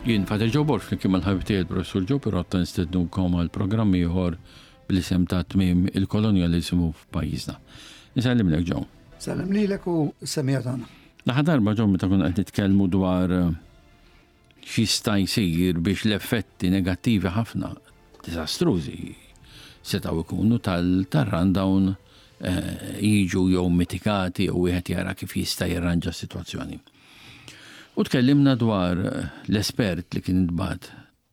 Jien Father Joe Borg flimkien mal-ħabib tiegħi l-Professur Joe Pirotta nistednukom għal programm ieħor bl-isem ta' tmiem il-kolonjaliżmu f'pajjiżna. Nsellimlek Joe. Sellem lilek u s-semija tagħna. L-aħħar darba Joe meta konna qed nitkellmu dwar eh, x'jista' jsir biex l-effetti negattivi ħafna diżastrużi setgħu jkunu tal-rundown eh, jiġu jew mitigati jew wieħed jara kif jista' jirranġa s-sitwazzjoni. U tkellimna dwar l-espert li kien intbagħat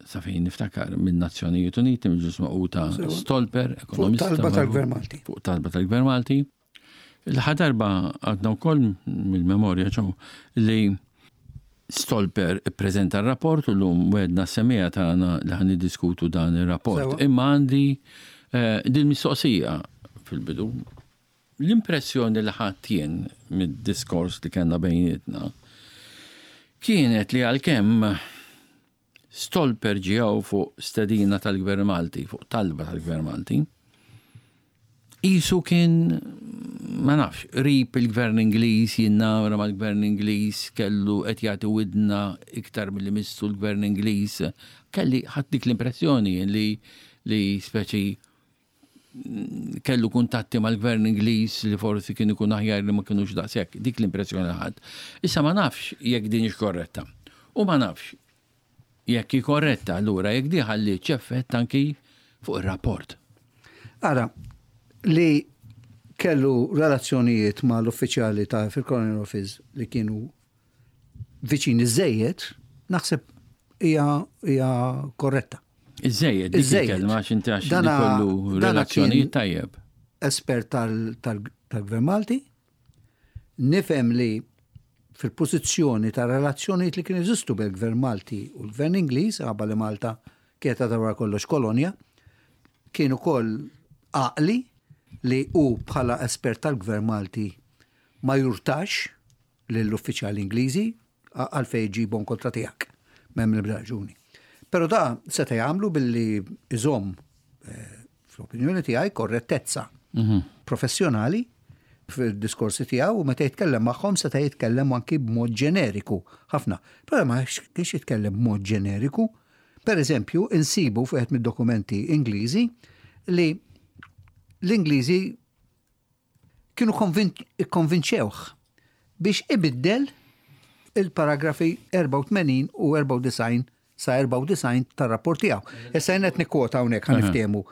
sa fejn niftakar minn Nazzjonijiet Uniti, mill Ġnus Magħquda Stolper, ekonomista. Fuq talba tal-Gvern Malti. Fuq talba tal-Gvern Malti. L-aħħar darba għadna wkoll mill-memorja ċew li Stolper ippreżenta r-rapport u llum wegħdna s-semmiegħa tagħna li ħa niddiskutu dan ir-rapport. Imma għandi eh, din mistoqsija fil-bidu. L-impressjoni li ħadt jien mid-diskors li kellna bejnietna kienet li għalkemm Stolper ġie hawn fuq stedina tal-Gvern Malti, fuq talba tal-Gvern Malti, qisu kien, ma nafx, qrib il-Gvern Ingliż, jinnamra mal-Gvern Ingliż, kellu qed jagħti widna iktar milli missu l-Gvern Ingliż. Kelli ħadt dik l-impressjoni jien li li speċi kellu kuntatti mal-gvern Ingliż li forsi kien ikun aħjar li ma kinux daqshekk. Dik l-impressjoni li ħadt. Issa ma nafx jekk din hix korretta. U ma nafx jekk hi korretta allura jekk di ħallietx effett anki fuq ir-rapport. Ara, li kellu relazzjonijiet mal-uffiċjali ta' fil-Colonial Office li kienu viċin iżejjed, naħseb hija korretta. Iżejjed, dik il-kelma għax inti għax kollu relazzjonijiet tajjeb. Espert tal-Gvern Malti, nifhem li fil-pożizzjoni ta' relazzjonijiet li kienu jeżistu bejn il-Gvern Malti u l-Gvern Ingliż, għaba li Malta kienet għadha wara kollox kolonja, kien ukoll għaqli li hu bħala espert tal-Gvern Malti ma jurtax lill-uffiċjali Ingliżi għalfejn iġibhom kontra tiegħek. M'hemm l-ebda raġuni. Però da seta' jagħmlu billi iżomm eh, fl-opinjoni tiegħi korrettezza mhm. professjonali fil-diskorsi tiegħu u meta jitkellem magħhom seta' jitkellem anki b'mod ġeneriku ħafna. Però ma kienx jitkellem b'mod ġeneriku. Per eżempju, insibu fuq mid-dokumenti Ingliżi li l-Ingliżi kienu ikkonvinċewh biex ibiddel il-paragrafi 84 u 94 sa 94 tar-rapport tiegħu. Issa jien qed nikkwota hawnhekk ħa niftehmu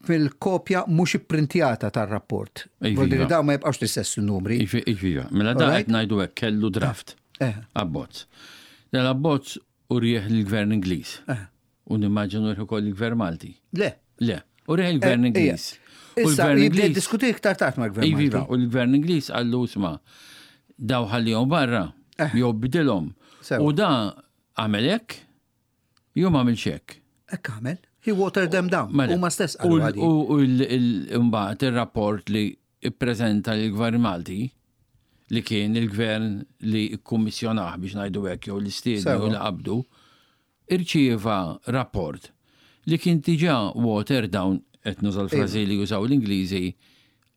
fil-kopja mhux ipprintjata tar-rapport. Iva. Vuol dire dawn ma jibqgħux l-istess numri. Iva, iva. Mela da qed ngħidu hekk kellu draft. Eh. eh. Abbozz. Dal-abbozz urieh lill-Gvern Ingliż. Eh. U nimmaġinu rih ukoll il-Gvern Malti. Le. Le. U rih il-Gvern eh, Ingliż. U l-Gvern Ingliż. Diskuti iktar tard mal-Gvern Malti. Iva, u l-Gvern Ingliż qallu isma' daw ħallihom barra, eh. jew bidilhom. U da għamel hekk, jew ma għamilx hekk. Hekk għamel. He watered them down. Mela. Huma stess qalu. U mbagħad ir-rapport li ippreżenta lill-Gvern Malti, li kien il-gvern li kkummissjonah biex ngħidu hekk jew li stiednu jew li qabdu, irċieva rapport li kien diġà watered down, qed nuża l-frażi li jużaw l-Ingliżi,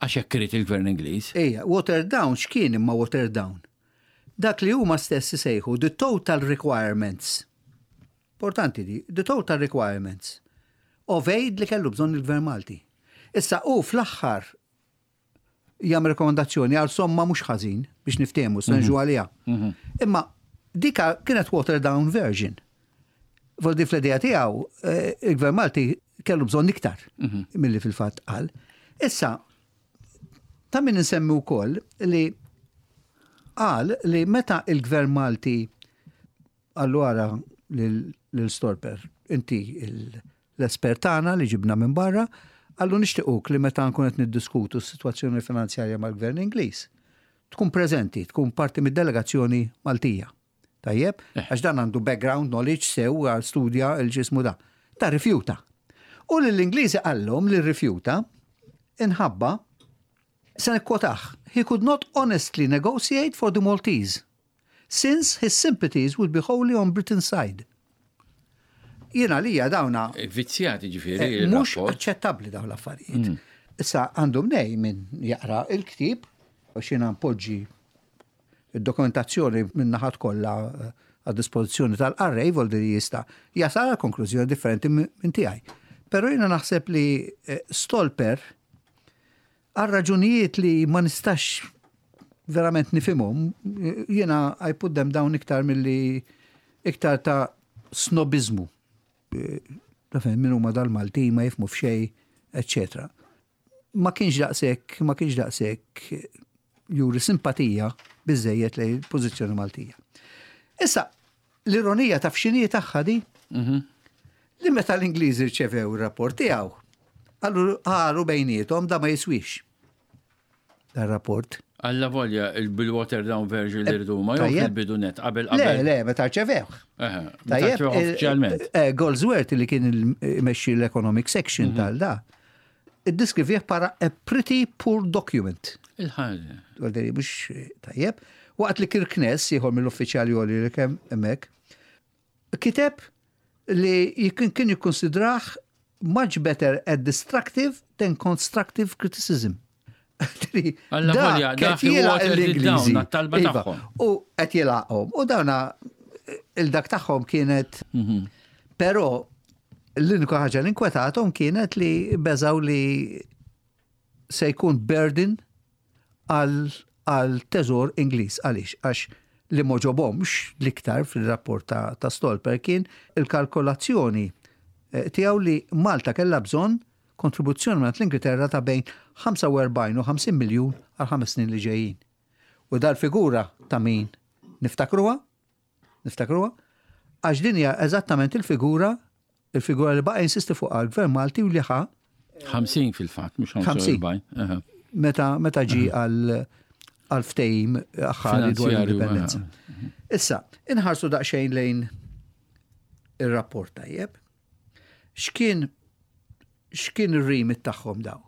għax hekk irid il-gvern Ingliż. Ejja, watered down x'kien imma watered down? Dak li huma stess isejħu the total requirements. Importanti di, the total requirements of aid li kellu bżonn il-Gvern Malti. Issa hu fl-aħħar jagħmel rekomendazzjoni għal somma mhux ħażin biex niftehmu se nġu mhm. għaliha. Mhm. Imma dika kienet water down version. Voldi fl-idea tiegħu eh, il-Gvern Malti kellu bżonn iktar mhm. milli fil-fatt qal. Issa, ta' min insemmi wkoll li qal li meta il-Gvern Malti Qallu ara lil Stolper, inti l-espert tagħna li ġibna minn barra, qallu nixtiequk li meta nkun qed niddiskutu s-sitwazzjoni finanzjarja mal-Gvern Ingliż, tkun preżenti, tkun parti mid-delegazzjoni Maltija. Tajjeb? Eh. Għax dan għandu background knowledge sew għal studja il-ġismu da. Ta' rifjuta. U lill-Ingliżi qallhom li rrifjuta inħabba se nikkwotah. He could not honestly negotiate for the Maltese. Since his sympathies would be wholly on Britain's side. Jien għalija dawna. Eh, vizzjati ġifieri. Eh, mhux aċċettabbli dawn l-affarijiet. Mm. Issa għandu mnej minn jaqra il-ktieb u xina npoġġi id-dokumentazzjoni minn naħat kollha eh, għad-dispożizzjoni tal-qarrej voldi li jista' jasal għal konklużjoni differenti minn tiegħi. Però jiena naħseb li eh, Stolper għal raġunijiet li ma nistax verament nifhimhom, jiena I put them down iktar milli iktar ta' snobizmu. Taf min huma dal-Maltin ma jifhmu f'xejn, eccetera. Ma kienx daqshekk, ma kienx daqshekk juri simpatija biżejjed lejn il-pożizzjoni Maltija. Issa, l-ironija taf x'inhi tagħha di? Li meta l-Ingliżi rċevew ir-rapport tiegħu, qalu qalu bejniethom da ma jiswix. Dar-rapport. Alla volja bil-water down version li rridu ma jew fil-bidu net qabel qabel. Le, le, meta rċevewh. Tajjeb, uffiċjalment. Eh, Goldsworth li kien imexxi l-economic section tal-da, iddiskrivih para a pretty poor document. Il-ħaġa. Għalderi, mhux tajjeb. Waqt li Kirkness, ieħor mill-uffiċjali għoli li kemm hemmhekk, kiteb li kien jikkonsidrah much better at destructive than constructive criticism. Alla volja, dak l-Ingliżi. Talba iva, tagħhom. U qed jilaqhom. U dawna il-dak tagħhom kienet però l-unika ħaġa li inkwetathom kienet li beżaw li se jkun burden għal teżor Ingliż. Għaliex? Għax li m'għoġobhomx l-iktar fil-rapport ta', ta Stolper kien il-kalkolazzjoni eh, tiegħu li Malta kellha bżonn kontribuzzjoni minn l-Ingilterra ta' bejn 45 u 50 miljun għal 5 snin li ġejjin. U dal-figura ta' min niftakruha? Niftakruha? Għax din hija eżattament il-figura il-figura li baqa' insisti fuq għal-Gvern Malti u li ħa 50 fil-fatt, mhux 45. Meta meta ġi għal għal ftehim aħħari dwar l-indipendenza. Issa, inħarsu daqsxejn lejn ir-rapport tajjeb. X'kien x'kien ir-remit tagħhom daw?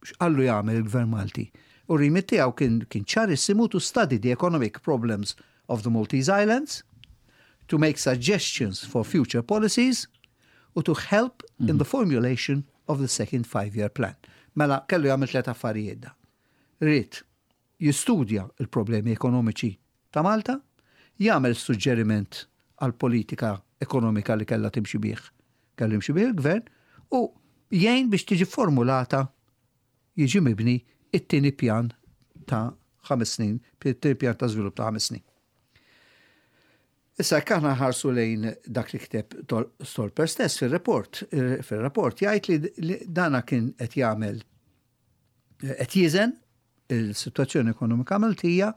X'qallu jagħmel il-Gvern Malti? U r-remit tiegħu kien kien ċarissimu to study the economic problems of the Maltese Islands, to make suggestions for future policies, u to help in the formulation of the second five-year plan. Mela, kellu jagħmel tliet affarijiet da. Ried jistudja il-problemi ekonomiċi ta' Malta, jagħmel suġġeriment għal politika ekonomika li kellha timxi bih, kellu jimxi bih il-gvern, u jgħin biex tiġi formulata jiġi mibni it-tieni pjan ta' 5 snin, it-tieni pjan ta' żvilupp ta' 5 snin. Issa jekk aħna ħarsu lejn dak li kteb Stolper stess fil-report, fil-rapport jgħid li dana kien qed jagħmel qed jiżen il-sitwazzjoni ekonomika Maltija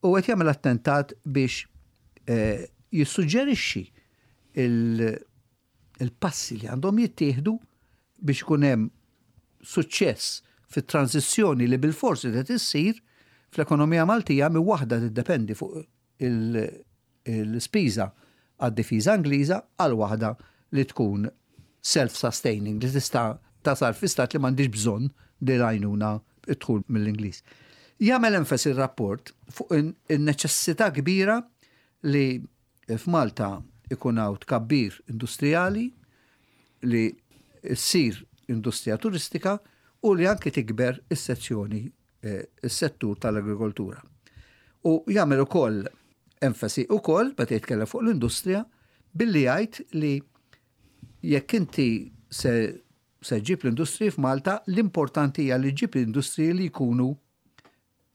u qed jagħmel attentat biex eh, jissuġġerixxi il-passi li għandhom jittieħdu biex ikun hemm suċċess fit-transizzjoni li bil-forsi qed issir fl-ekonomija Maltija minn waħda tiddependi fuq il-spiża għad-difiża Ingliża għal waħda li tkun self-sustaining, li tista' tasal fi stat li m'għandix bżonn din l-għajnuna id-dħul mill-Ingliż. Jagħmel enfasi r-rapport fuq in-neċessità kbira li f'Malta ikun hawn tkabbir industrijali, li ssir industrija turistika u li anki tikber is-sezzjoni eh, is-settur tal-agrikoltura. U jagħmel ukoll enfasi ukoll meta jitkellem fuq l-industrija billi jgħid li jekk inti se se ġib l-industriji f'Malta, l-importanti hija li ġib l-industriji li jkunu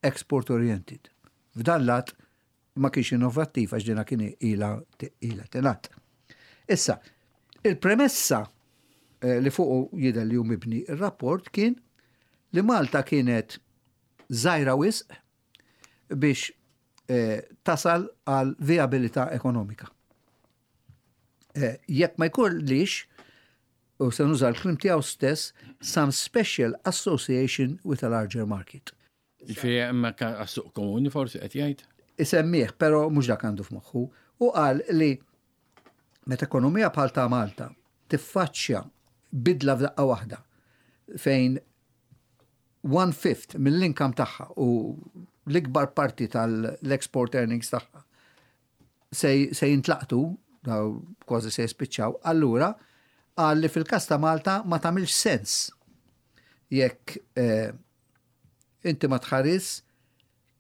export oriented. F'dan lat ma kienx innovattiv għax dina kien ila ila tingħad. Issa, il-premessa eh, li fuqu jidher li hu mibni ir-rapport kien li Malta kienet żgħira wisq biex eh, tasal għal viabilità ekonomika. Eh, jekk ma jkollix, u se nuża l-kliem tiegħu stess, some special association with a larger market. Ġifieri hemmhekk għas-suq komuni forsi qed jgħid? Isemmih, però mhux dak għandu f'moħħu, u qal li meta ekonomija bħal ta' Malta tiffaċċja bidla f'daqqa waħda fejn one fifth mill-income tagħha u l-ikbar parti tal-export earnings tagħha se, se jintlaqtu, daw kważi se jispiċċaw, allura qal li fil-każ ta' Malta ma tagħmilx sens jekk eh, inti ma tħares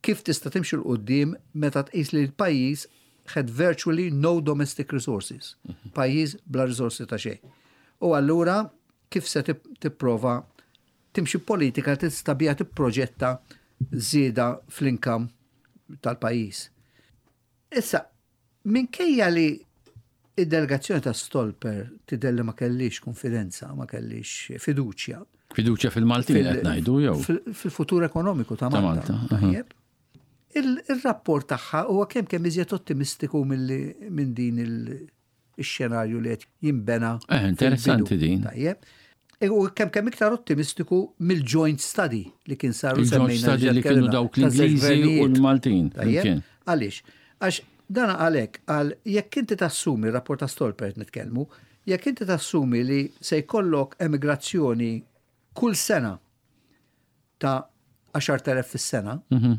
kif tista' timxi 'l quddiem meta tqis li l-pajjiż had virtually no domestic resources. Pajjiż bla risorsi ta' xejn. U allura kif se tipprova timxi politika tista' biha tipproġetta żieda fl-income tal-pajjiż. Issa, minkejja li id-delegazzjoni ta' Stolper tidher li ma kellix konfidenza, ma kellix fiduċja. Fiduċja fil-Maltin qed ngħidu jew? Fil-futur ekonomiku ta' Malta. Tajjeb. Il-rapport tagħha huwa kemm kemm iżjed ottimistiku minn din il-xenarju li qed jinbena. Eh, interessanti din. Tajjeb. E, u kemm kemm iktar ottimistiku mill-joint study li kien saru semmejna. Il-joint study li kienu dawk l-Ingliżi u l-Maltin. Tajjeb. Għaliex? Għax dan għalhekk għal jekk inti tassumi rapport ta' Stolper nitkellmu, jekk inti tassumi li se jkollok emigrazzjoni kull sena ta' 10,000 fis-sena, mhm.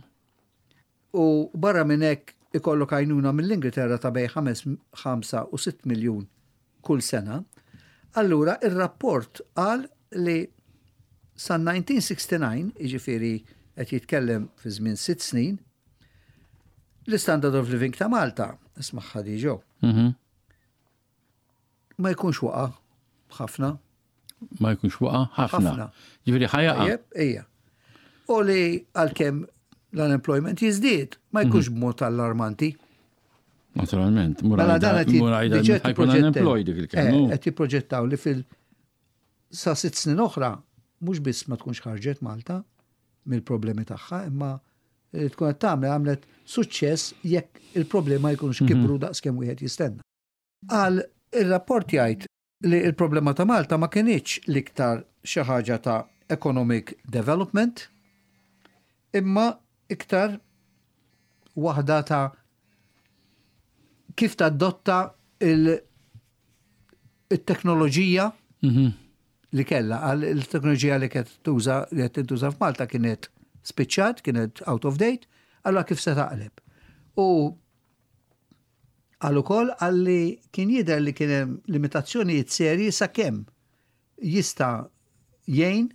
u barra minn hekk ikollok għajnuna mill-Ingilterra ta' bej 5 u 6 miljun kull sena, allura ir-rapport qal li sa 1969, jiġifieri qed jitkellem fi żmien sitt snin, l-standard of living ta' Malta, ismagħha diġo, mhm. Ma jkunx waqa' ħafna. Ma jkunx waqa' ħafna. Ġifieri ħajaqa. Ejja. U li għalkemm l-unemployment jiżdied, ma jkunx mhm. b'mod allarmanti. Naturalment, mela dan qed ħajkun unemployed dik il-kemm. Eh, qed jipproġettaw li fil sa sitt snin oħra mhux biss ma tkunx ħarġet Malta mill-problemi tagħha, imma li tkun qed tagħmel għamlet suċċess jekk il-problema jkunux mhm. kibru daqskemm wieħed jistenna. Qal, Ir-rapport jgħid li l-problema ta' Malta ma kinitx l-iktar xi ħaġa ta' economic development imma iktar waħda ta' kif tadotta il-teknoloġija mhm. li kellha għal il-teknoloġija li kienet tuża li qed tintuża f'Malta kienet spiċċat, kienet out of date, allura kif se taqleb. U Qal ukoll qal li kien jidher li kien hemm limitazzjonijiet serji sakemm jista' jgħin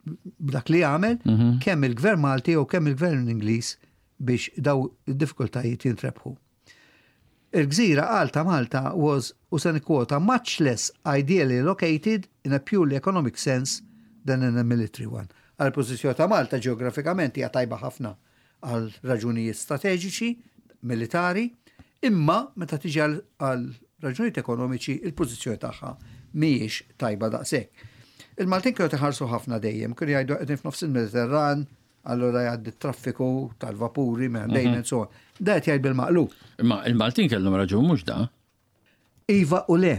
b'dak li għamel mhm. kemm il-Gvern Malti jew kemm il-Gvern Ingliż biex daw id-diffikultajiet jintrebħu. Il-gżira qal ta' Malta was, u se nikkwota, much less ideally located in a purely economic sense than in a military one. Għal pożizzjoni ta' Malta ġeografikament hija tajba ħafna għal raġunijiet strateġiċi, militari, imma meta tiġi għal raġunijiet ekonomiċi il-pożizzjoni tagħha mhijiex tajba daqshekk. Il-Maltin kienu iħarsu ħafna dejjem, kienu jgħidu qegħdin f'nofs il-Mediterran, allura jgħaddi traffiku tal-vapuri minn dejjem mhm. so. Da qed jgħid bil-maqlub. Imma il-Maltin kellhom raġun mhux da. Iva u le.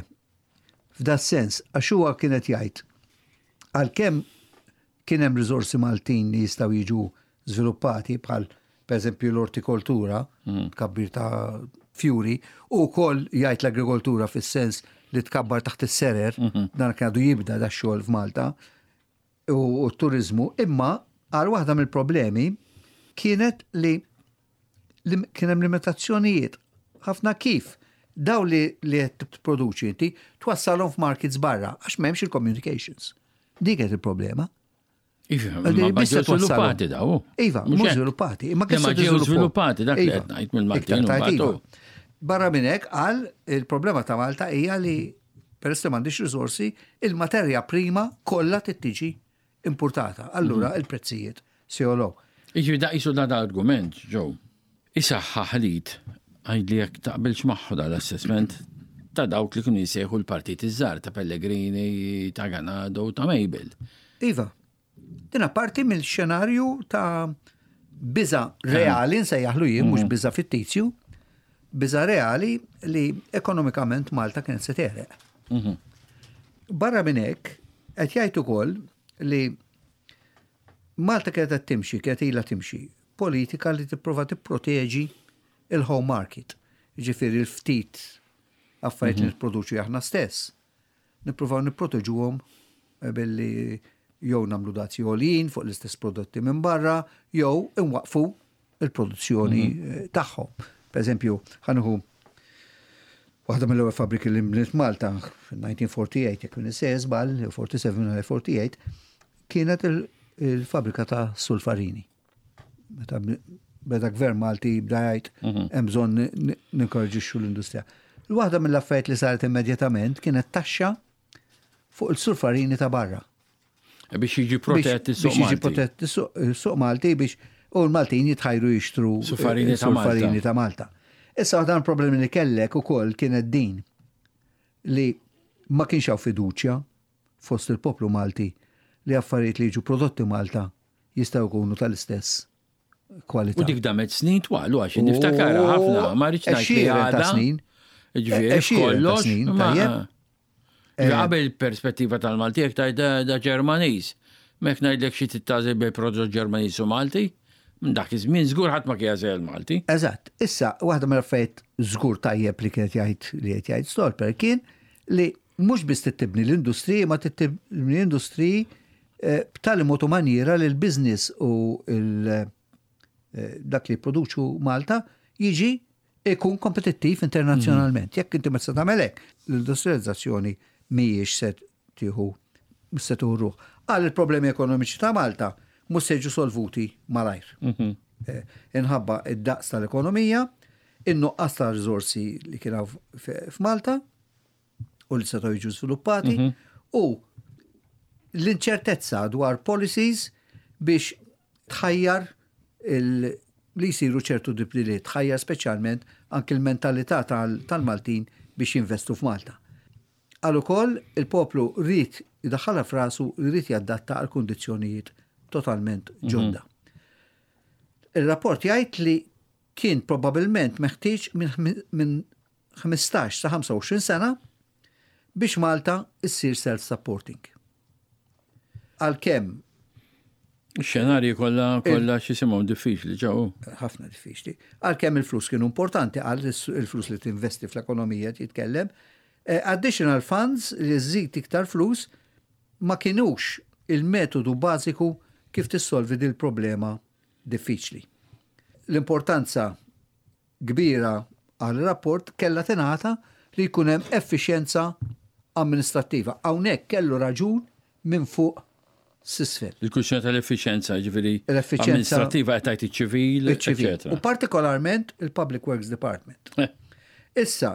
F'da sens, għax huwa kien qed jgħid għalkemm kien hemm riżorsi Maltin li jistgħu jiġu żviluppati bħal pereżempju l-ortikoltura, mm. tkabbir ta' fjuri, u wkoll jgħid l-agrikoltura fis-sens li tkabbar taħt is-serer, mhm. dan kien għadu jibda da xogħol f'Malta, u t-turizmu, imma għal waħda mill-problemi kienet li kien hemm limitazzjonijiet ħafna kif daw li li qed tipproduċi inti twassalhom f'markets barra għax m'hemmx il-communications. Dik qed il-problema. Iva, ma ġew żviluppati daw. Iva, mhux żviluppati. Imma kif ġew żviluppati dak li qed ngħid mill-Maltin. Iva. Barra minn hekk qal il-problema ta' Malta hija li peress li m'għandix riżorsi, il-materja prima kollha tittiġi importata. Allura mhm. il-prezzijiet se jogħlew. Iġri da qisu da argument, ġew. Isaħħaħ lit għajd li jekk taqbilx magħhu dal-assessment ta' dawk li kienu jisejħu l-partit iż-żgħar ta' Pellegrini, ta' Ganado, ta' Mabel. Iva, din parti mill-xenarju ta' biża reali, nsejjaħlu jien, mhux mhm. biża fittizju, biża reali li ekonomikament Malta kienet se tereq. Mhm. Barra minn hekk, qed jgħid ukoll li Malta kienet qed timxi, kienet ilha timxi, politika li tipprova tipproteġi il-home market. Ġifieri l-ftit affarijiet li mhm. nipproduċi aħna stess. Nippruvaw nipproteġuhom eh, billi jew nagħmlu dazji għoljin fuq l-istess prodotti minn barra, jew inwaqfu il-produzzjoni mhm. eh, tagħhom. Per eżempju, ħanuħu waħda mill-ewwel fabbriki li nbniet Malta fil-1948, jekk minn żball, 47 48, kienet il-fabbrika ta' sulfarini. Meta beda gvern Malti jibda jgħid hemm bżonn ninkoraġixxu l-industrija. L-waħda mill-affarijiet li saret immedjatament kienet taxxa fuq il-surfarini ta' barra. Biex jiġi protett is-suq Biex jiġi protett is-suq Malti biex u l-Maltin jitħajru jixtru Surfarini ta' Malta. surfarini ta' Malta. Issa waħda mill-problemi li kellek ukoll kienet din li ma kienx hawn fiduċja fost il-poplu Malti li affarijiet li jiġu prodotti Malta jistgħu jkunu tal-istess kwalità. U dik damet snin twal, u għax niftakara ħafna, ma rridx ngħid li Għexieren ta' għadha. snin. Ġifieri Għexieren ta' kollox. snin, ma- tajjeb. Ġifieri Qabel perspettiva tal-Malti jekk tgħid da, da Ġermaniż. Mek ngħidlek xi tittażel bej prodott Ġermaniż u Malti, minn dak iż-żmien żgur ħadd ma kien jażel Malti. Eżatt. Issa, waħda mill-affarijiet żgur tajjeb li kienet jgħid li qed jgħid Stolper kien li mhux biss tibni l-industriji, ma tibni l-industriji eh, b'tali mod u maniera li l-business u l- eh, dak li jipproduċu Malta jiġi ikun kompetittiv internazzjonalment. Jekk inti ma tista' tagħmel hekk, l-industrializzazzjoni mhijiex se tieħu mhux se tieħu ruħ. Għal il-problemi ekonomiċi ta' Malta mhux se jiġu solvuti malajr. Eh, Inħabba id-daqs tal-ekonomija, in-nuqqas ta' riżorsi li kien hawn f'Malta u li setgħu jiġu żviluppati u l-inċertezza dwar policies biex tħajjar il- li jisiru ċertu tibdiliet, tħajjar speċjalment anki l-mentalità tal- tal-Maltin biex jinvestu f'Malta. Għal ukoll il-poplu rrid idaħħalha f'rasu rrid jadatta għal kundizzjonijiet totalment ġodda. Il-rapport jgħid li kien probabbilment meħtieġ minn minn 15 sa 25 sena biex Malta issir self-supporting. Għalkemm Ix-xenarji kollha kollha x'isimhom diffiċli ġew. ħafna diffiċli. Għalkemm il-flus kienu importanti, għal il-flus li tinvesti fl-ekonomija jitkellem, eh, additional funds li żżid iktar flus ma kienux il-metodu bażiku kif tissolvi dil problema diffiċli. L-importanza kbira għal rapport kella tingħata li jkun hemm effiċjenza amministrattiva. Hawnhekk kellu raġun minn fuq s'isfel. Il-kwistjoni tal-effiċjenza, ġifieri L-effiċjenza- amministrattiva qed tgħid iċ-ċivil, Iċ-ċivil. eċetera. U partikolarment il-Public Works Department. Issa,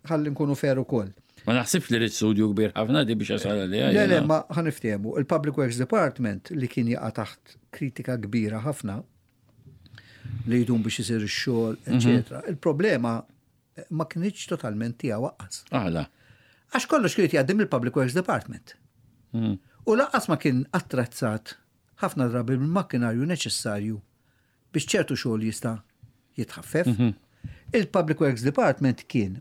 ħalli nkunu fair ukoll. Ma naħsibx li rrid studju kbir ħafna di biex jasal għalija. Le, le, jiena. ma ħa niftiehmu. Il-Public Works Department li kien jaqa' taħt kritika kbira ħafna li jdum biex isir ix-xogħol, eċetera. Il-problema ma kinitx totalment tiegħu waqqas. Aħla. Għax kollox kien jgħaddi mill-Public Works Department. U lanqas ma kien attrezzat ħafna drabi bil-makkinarju neċessarju biex ċertu xogħol jista' jitħaffef. Il-Public Works Department kien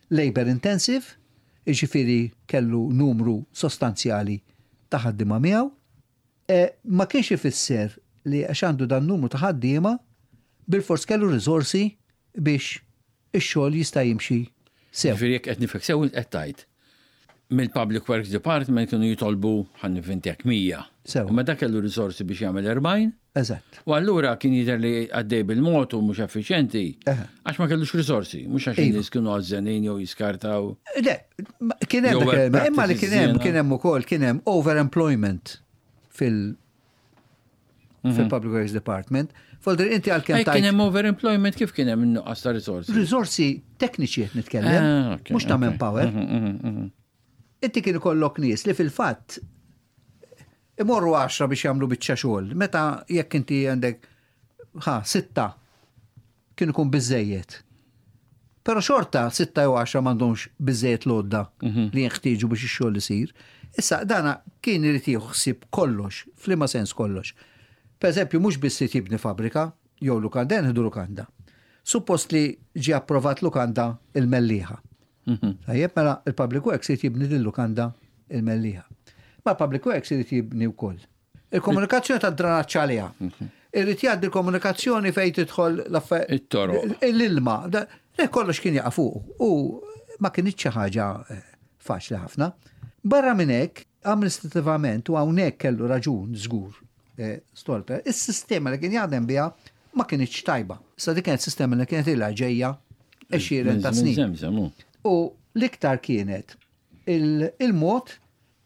labor intensive, jiġifieri kellu numru sostanzjali ta' ħaddiema miegħu. E, ma kienx ifisser li għax għandu dan numru ta' ħaddiema bil-fors kellu riżorsi biex ix-xogħol jista' jimxi sew. Ġifieri jekk qed nifhek sew qed tgħid. Mill-Public Works Department kienu jitolbu ħa nivvintak 100. Sew. Imma dak kellu risorsi biex jagħmel 40. Eżatt. U allura kien jidher li għaddej bil-mod u mhux effiċjenti. Eħe. Għax ma kellux risorsi, mhux għax Iva. in-nies kienu għażżenin jew jiskartaw. Le, ma- kien hemm Jew dak il- imma li practices kien hemm żiena. kien hemm ukoll kien hemm overemployment fil fil-Public Works Department. Folder inti għalkemm Ej, kien tajt hemm overemployment kif kien hemm nuqqas ta' risorsi? riżorsi tekniċi qed nitkellem, Ah, ok, mhux ta' ok. manpower. Inti kien ikollok nies li fil-fatt imorru 10 biex jagħmlu biċċa xogħol. Meta jekk inti għandek ħa sitta kien ikun biżejjed. Però xorta sitta jew 10 m'għandhomx biżejjed lodda li jinħtieġu biex ix-xogħol isir. Issa dana kien irid jieħu ħsieb kollox, f'liema sens kollox. Per eżempju, mhux biss irid jibni fabbrika jew lukanda, nħidu lukanda. Suppost li ġie approvat lukanda il-Mellieħa. Tajjeb, mela il-Public Works irid jibni din lukanda il-Mellieħa. Ma l-Public Works irid jibni wkoll. Il-komunikazzjoni ta' dranaġġ għaliha. Irid jgħaddi l-komunikazzjoni fejn tidħol l-affa- It-toroq. L-ilma. Da- Le kollox kien jaqa' fuq u ma kienx xi ħaġa eh, faċli ħafna. Barra minn hekk, amministrativament u hawnhekk kellu raġun żgur eh, Stolper, is-sistema li kien jaħdem biha ma kienx tajba. Issa dik kienet sistema li kienet ilha ġejja għexieren ta' Minn snin. żemżem, hu. U l-iktar kienet il- il-mod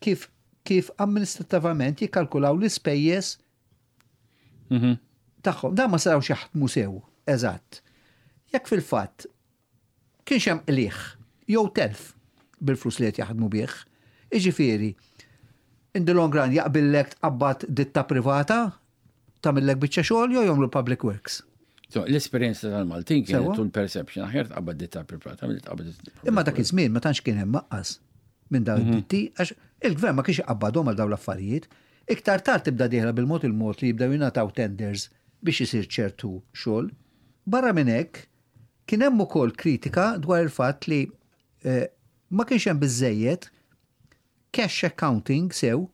kif kif amministrativament jikkalkulaw l-ispejjeż tagħhom. Dan ma setgħux jaħdmu sew, eżatt. Jekk fil-fatt kienx hemm qligħ jew telf bil-flus li qed jaħdmu bih, jiġifieri in the long run jaqbillek tqabbad ditta privata tagħmillek biċċa xogħol jew jagħmlu public works. So, l-esperjenza tal-Maltin kienet u l-perception aħjar tqabbad ditta privata milli tqabbad. Imma dak iż-żmien ma tantx kien hemm maqqas minn dawn mhm. id-ditti għax il-gvern ma kienx iqabbadhom għal dawn l-affarijiet. Iktar tard tibda dieħla bil-mod il-mod li jibdew jingħataw tenders biex isir ċertu xogħol. Barra minn hekk, kien hemm ukoll kritika dwar il-fatt li eh, ma kienx hemm biżejjed cash accounting sew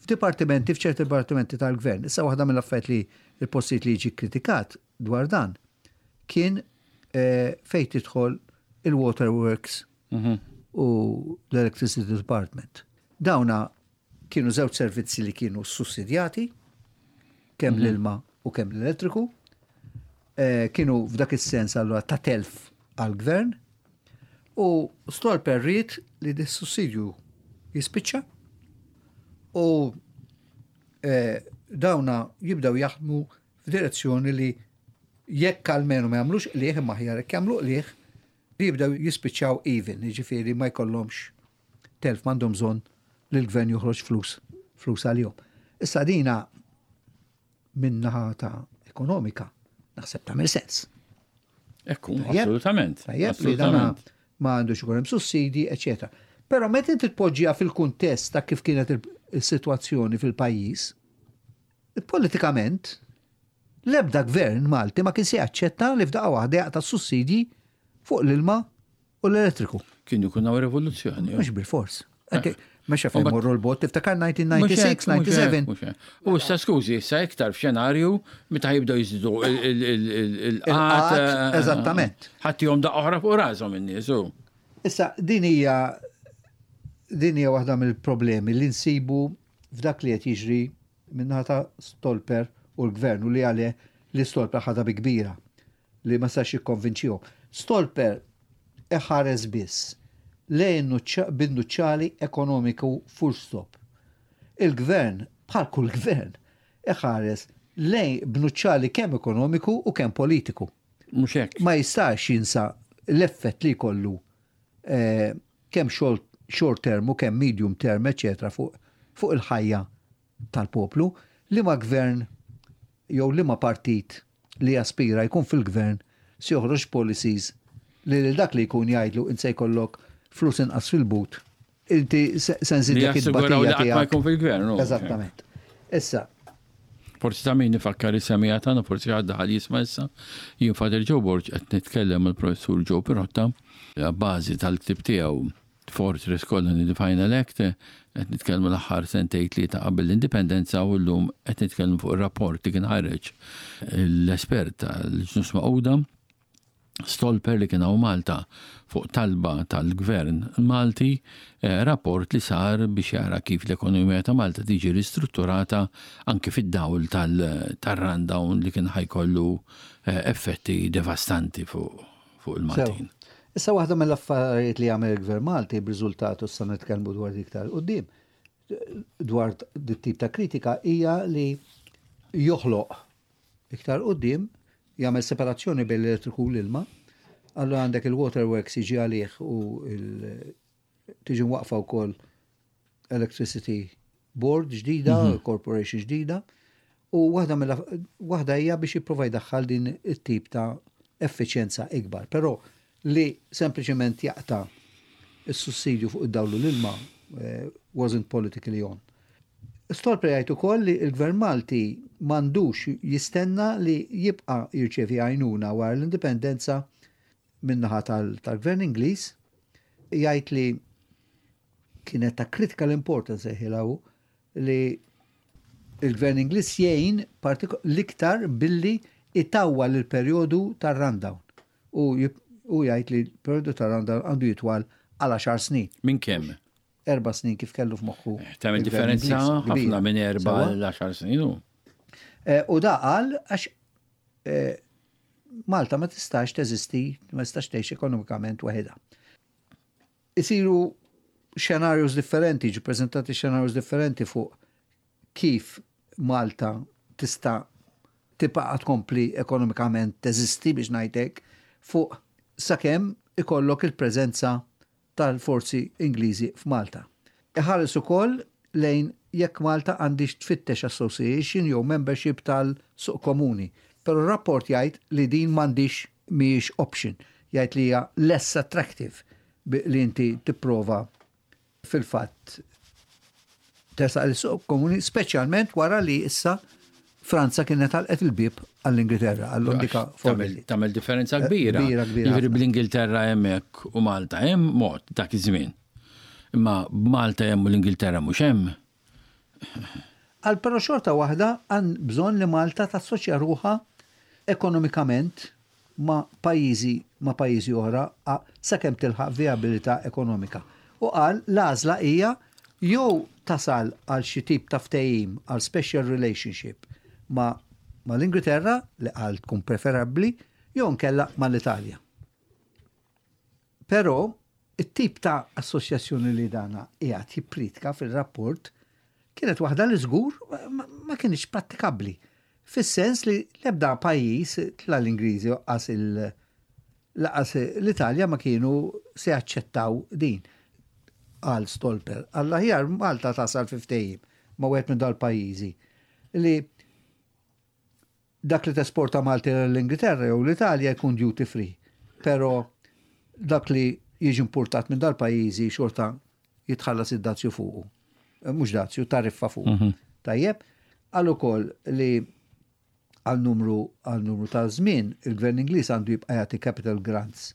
f'dipartimenti f'ċerti dipartimenti tal-gvern. Issa waħda mill-affarijiet li l-postijiet li jiġi kritikat dwar dan kien eh, fejn tidħol il-waterworks mhm. u l-electricity department. Dawna kienu żewġ servizzi li kienu sussidjati, kemm mhm. l-ilma u kemm l-elettriku, eh, kienu f'dak is-sens allura ta' telf għall-gvern u Stolper ried li dis-sussidju jispiċċa u eh, dawna jibdew jaħdmu f'direzzjoni li jekk almenu ma jagħmlux qliegħ imma aħjar jekk jagħmlu qliegħ li jibdew jispiċċaw even, jiġifieri ma jkollhomx telf m'għandhom bżonn li l-gvern joħroġ flus flus għalihom. Issa dina min-naħa ta' ekonomika naħseb tagħmel sens. Ekku, assolutament. Tajjeb li dana ma għandux ikun hemm sussidi, eċetera. Però meta inti tpoġġiha fil-kuntest ta' kif kienet is-sitwazzjoni fil-pajjiż, politikament l-ebda gvern Malti ma kien se jaċċetta li f'daqqa waħda jaqta' sussidji fuq l-ilma u l-elettriku. Kien ikun hawn rivoluzzjoni. Mhux bil-fors. Eh. Mhux fejn morru l-bot, tiftakar 1996, 97. U issa skużi, issa iktar f'xenarju meta jibdew jiżidu il-qat. Eh, eżattament. Ħattihom daqqa oħra fuq rashom in-nies. Issa din hija din hija waħda mill-problemi li nsibu f'dak li qed jiġri min-naħa ta' Stolper u l-gvern u li għalih li Stolper ħadha bi kbira li ma setax jikkonvinċihom. Stolper iħares biss lejn bin-nuċċali ekonomiku full stop. Il-gvern, bħal kull gvern, iħares lejn b'nuċċali kemm ekonomiku u kemm politiku. Mhux hekk. Ma jistax jinsa l-effett li jkollu eh, kemm short term u kemm medium term, eċetera, fuq fuq il-ħajja tal-poplu, liema gvern jew liema partit li jaspira jkun fil-gvern se joħroġ policies li lil dak li jkun jgħidlu int se jkollok flus inqas fil-but, inti se nżidlek it-tbatija tiegħek. Ma jkun fil-gvern. Eżattament. Issa. Forsi ta' min ifakkar is-semija tagħna, forsi ħadd daħal jisma' issa. Jien Father Joe Borg qed nitkellem mal-Professur Joe Pirotta, bażi tal-ktieb tiegħu Fortress Colony The Final Act, qed nitkellmu l-aħħar sentejn tlieta qabel l-indipendenza u llum qed nitkellmu fuq ir-rapport li kien ħareġ l-espert tal-Ġnus Magħquda Stolper li kien hawn Malta fuq talba tal-Gvern Malti, eh, rapport li sar biex jara kif l-ekonomija ta' Malta tiġi ristrutturata anke fid-dawl tal-rundown li kien ħajkollu eh, effetti devastanti fuq fuq il-Maltin. Issa waħda mill-affarijiet li għamel il-Gvern Malti b'riżultat u issa nitkellmu dwar dik tal-qudiem dwar dit-tip ta' kritika hija li joħloq iktar qudiem jagħmel separazzjoni bejn l-elettriku u l-ilma, allura għandek il-waterworks jiġi għalih u tiġi mwaqfa wkoll Electricity Board ġdida, mm -hmm. corporation ġdida, u waħda mill waħda hija biex jipprova jdaħħal din it-tip ta' effiċjenza ikbar. Però li sempliċement jaqta' is-sussidju fuq id-dawl u l-ilma eh, wasn't politically on. Stolper jgħid ukoll li l-Gvern Malti m'għandux jistenna li jibqa' jirċievi għajnuna wara l-indipendenza min-naħa tal-Gvern Ingliż, jgħid li kienet ta' critical importance sejħilha hu li il-Gvern Ingliż jgħin l-iktar billi itawwal il-perjodu tar-rundown. U jgħid li l-perjodu tar-rundown għandu jitwal għal 10 snin. Minn kemm? Erba' snin kif kellu f'moħħu. Eh, tagħmel differenza ħafna minn erba' l 10 snin. Eh, u da qal għax eh, Malta ma tistax teżisti, ma tistax tgħix ekonomikament waħedha. Isiru xenarjos differenti, ġi prezentati xenarjos differenti fuq kif Malta tista' tibqa' tkompli ekonomikament teżisti biex ngħidlek fuq sakemm ikollok il-preżenza tal-forzi Ingliżi f'Malta. Iħares ukoll lejn jekk Malta għandhiex tfittex association jew membership tal-suq komuni. Però r-rapport jgħid li din m'għandhiex mhijiex option. Jgħid li hija less attractive li inti tipprova fil-fatt tersaq lis-suq komuni, speċjalment wara li issa Franza kienet għalqet il-bieb għall-Ingilterra, għall-Ondika Formelli. Tagħmel differenza eh, kbira. Kbira, kbira. Jiġifieri bl-Ingilterra hemmhekk u Malta hemm mod dak iż-żmien. Imma b'Malta hemm u l-Ingilterra mhux hemm. Għal però xorta waħda għan bżonn li Malta tassoċja ruħha ekonomikament ma' pajjiżi ma' pajjiżi oħra sakemm tilħaq vijabilità ekonomika. U qal l-għażla hija jew tasal għal xi tip ta' ftehim għal special relationship ma' mal-Ingilterra li qal tkun preferabbli jew inkella mal-Italja. Però it-tip ta' assoċjazzjoni li dana qiegħed jippriedka fir-rapport kienet waħda li żgur ma kinitx prattikabbli. Fis-sens li l-ebda pajjiż, la l-Ingliżi laqas laqas l-Italja ma kienu se jaċċettaw din. Qal Stolper, għall-aħjar Malta tasal fi ftehim ma' wieħed minn dal-pajjiżi li dak li tesporta Malti l-Ingilterra jew l-Italja jkun duty free. Però dak li jiġi importat minn dal-pajjiżi xorta jitħallas id-dazju fuqu. Eh, mhux dazju, tariffa fuqu. Mhm. Tajjeb, qal ukoll li għal numru għal numru ta' żmien il-Gvern Ingliż għandu jibqa' jagħti capital grants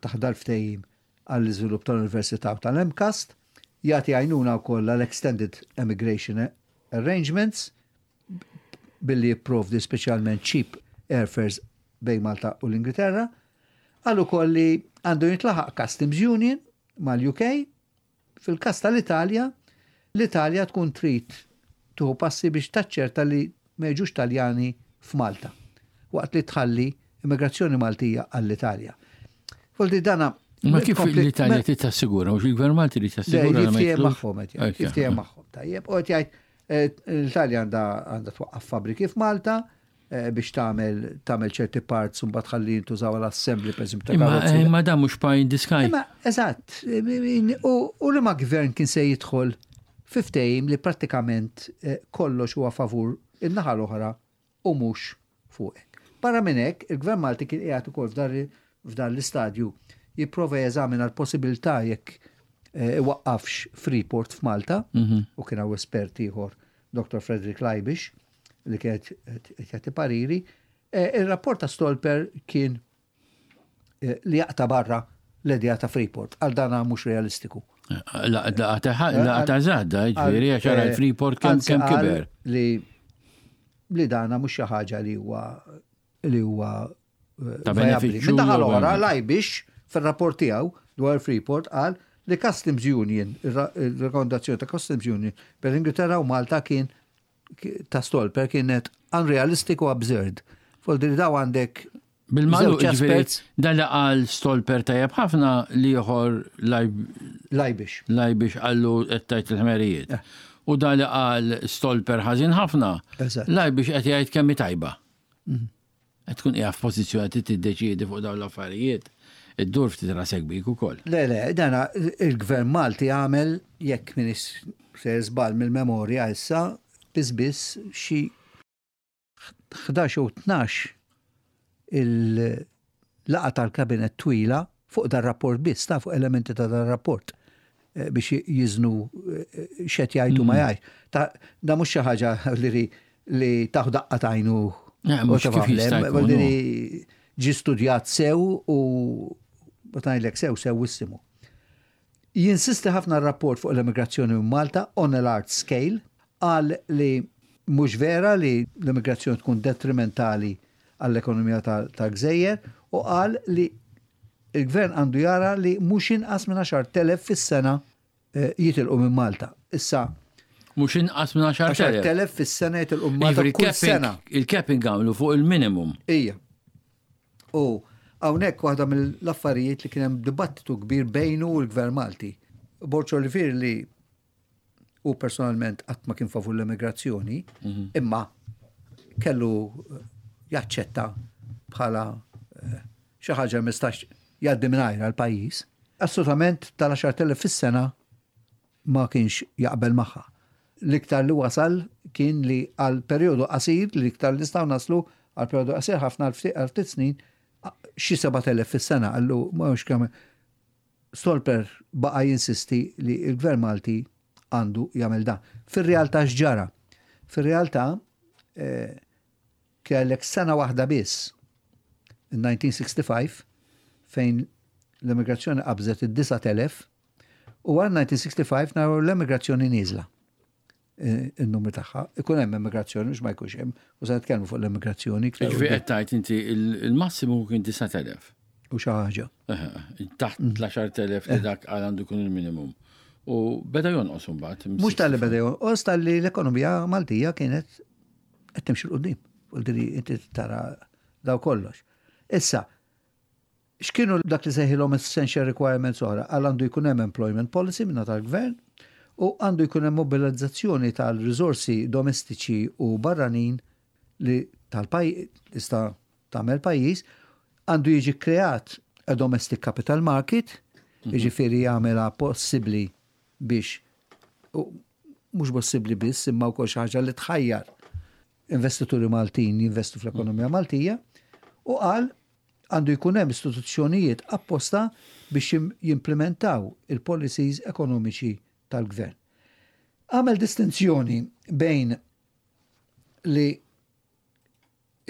taħt dal-ftehim għall-iżvilupp tal-Università u tal-MCAST, jagħti għajnuna wkoll għal Extended Emigration Arrangements billi jipprovdi speċjalment cheap airfares bejn Malta u l-Ingilterra. Qal ukoll li għandu jintlaħaq Customs Union mal-UK. Fil-każ tal-Italja, l-Italja tkun trid tieħu passi biex taċċerta li ma jiġux Taljani f'Malta, waqt li tħalli immigrazzjoni Maltija għall-Italja. Voldi dana Ma kif l-Italja trid tassigura, mhux il-Gvern Malti li tassigura. Jiftiehem magħhom qed jgħid, jiftiehem magħhom. Tajjeb, u qed jgħid eh, l-Italja għandha twaqqaf fabbriki f'Malta, Eh, biex tagħmel tagħmel ċerti parts u mbagħad ħalli jintużaw għal assembly pereżempju ta' karozzi. Eh, imma dan mhux pie in the sky. Imma eżatt, u li ma gvern kien se jidħol fi ftehim li prattikament eh, kollox huwa favur in-naħa l-oħra u mhux fuqek. Barra minn hekk, il-Gvern Malti kien qiegħed ukoll f'dan l-istadju jipprova jeżamina l-possibilità jekk iwaqqafx Freeport f'Malta mhm. u kien hawn espert ieħor Dr. Frederick Leibish li kienet qed jagħti pariri, eh, ir-rapport ta' Stolper kien eh, li jaqta' barra l-idea ta' Freeport, għal dana mhux realistiku. Laqta żgħadda, ġifieri għax ara l-Freeport kemm kemm kiber. Li li dana mhux xi ħaġa li huwa li huwa eh, ta' benefiċċju. Min-naħa l-oħra, Lajbix fir-rapport tiegħu dwar Freeport qal li Customs Union, il-rekomendazzjoni ta' Customs Union per Ingilterra u Malta kien ta' Stolper kienet unrealistic u absurd. Foldi li daw għandek Bil-malu ġifieri dan li qal Stolper tajjeb ħafna li ieħor Lajbix. Lajbix qallu qed tgħid il-ħmerijiet. Eh. U dan li qal Stolper ħażin ħafna. Lajbix qed jgħid kemm tajba. Mhm. Qed tkun qiegħed f'pożizzjoni li tiddeċiedi fuq dawn l-affarijiet, iddur ftit rasek bik ukoll. Le, le, dana il-Gvern Malti għamel, jekk m'iniex sejjer żball mill-memorja issa, biss biss xi 11 jew 12 il-laqgħa tal-Kabinett twila fuq dar-rapport biss, ta' fuq elementi ta' dar-rapport. Eh, biex jiżnu eh, xed jgħidu ma mm. jgħid. Da mhux xi ħaġa li li taħu daqqa tajnu. Li ġi studjat sew u ngħidlek sew sew wissimu. Jinsisti ħafna r-rapport fuq l-immigrazzjoni minn Malta on a large scale qal li mhux vera li l-immigrazzjoni tkun detrimentali għall-ekonomija tal-gżejjer u qal li Il-Gvern għandu jara li mhux inqas minn 10,000 fis-sena eh, jitilqu minn Malta. Issa Mhux inqas minn 10,000. 10,000 fis-sena jitilqu minn Malta kull sena. Il-capping għamlu fuq il-minimum. Ija. U hawnhekk waħda mill-affarijiet li kien hemm dibattitu kbir bejnu u l-Gvern Malti. Borċo Olivier li Hu personalment qatt ma kien favur l-emigrazzjoni, mhm. imma kellu jaċċetta bħala eh, xi ħaġa ma jistax jgħaddi mingħajrha l-pajjiż. Assolutament tal-10,000 fis-sena ma kienx jaqbel magħha. L-iktar li wasal kien li għal perjodu qasir, l-iktar li nistgħu naslu għal perjodu qasir ħafna għal ftit snin, xi 7,000 fis-sena qallu ma hux kemm Stolper baqa' jinsisti li l-Gvern Malti għandu jagħmel dan. Fir-realtà x'ġara? Fir-realtà eh, kellek sena waħda biss, in-1965, fejn l-immigrazzjoni qabżet id-9,000 u wara 1965 naraw l-emigrazzjoni nieżla eh, il-numru tagħha. Ikun hemm emigrazzjoni mhux ma jkunx hemm, u se nitkellmu fuq l-emigrazzjoni. Ġifieri qed tgħid inti il-massimu kien 9,000. U xi ħaġa. Taħt l-10,000 li dak għal għandu jkun il-minimum. U beda jonqos imbagħad. Mhux tal-li beda jonqos, tal-li l-ekonomija Maltija kienet qed timxi 'l quddiem. U inti tara daw kollox. Issa, X'kienu dak li sejħilhom essential requirements oħra? Qal għandu jkun hemm employment policy min-naħa tal-Gvern u għandu jkun hemm mobilizzazzjoni tal-riżorsi domestiċi u barranin li tista' tagħmel pajjiż, għandu jiġi kkreat a domestic capital market, jiġifieri jagħmilha possibbli biex mhux possibbli biss imma wkoll xi ħaġa li tħajjar investituri Maltin jinvestu fl-ekonomija Maltija u qal Għandu jkun hemm istituzzjonijiet apposta biex jimplimentaw il-policies ekonomiċi tal-gvern. Għamel distinzjoni bejn li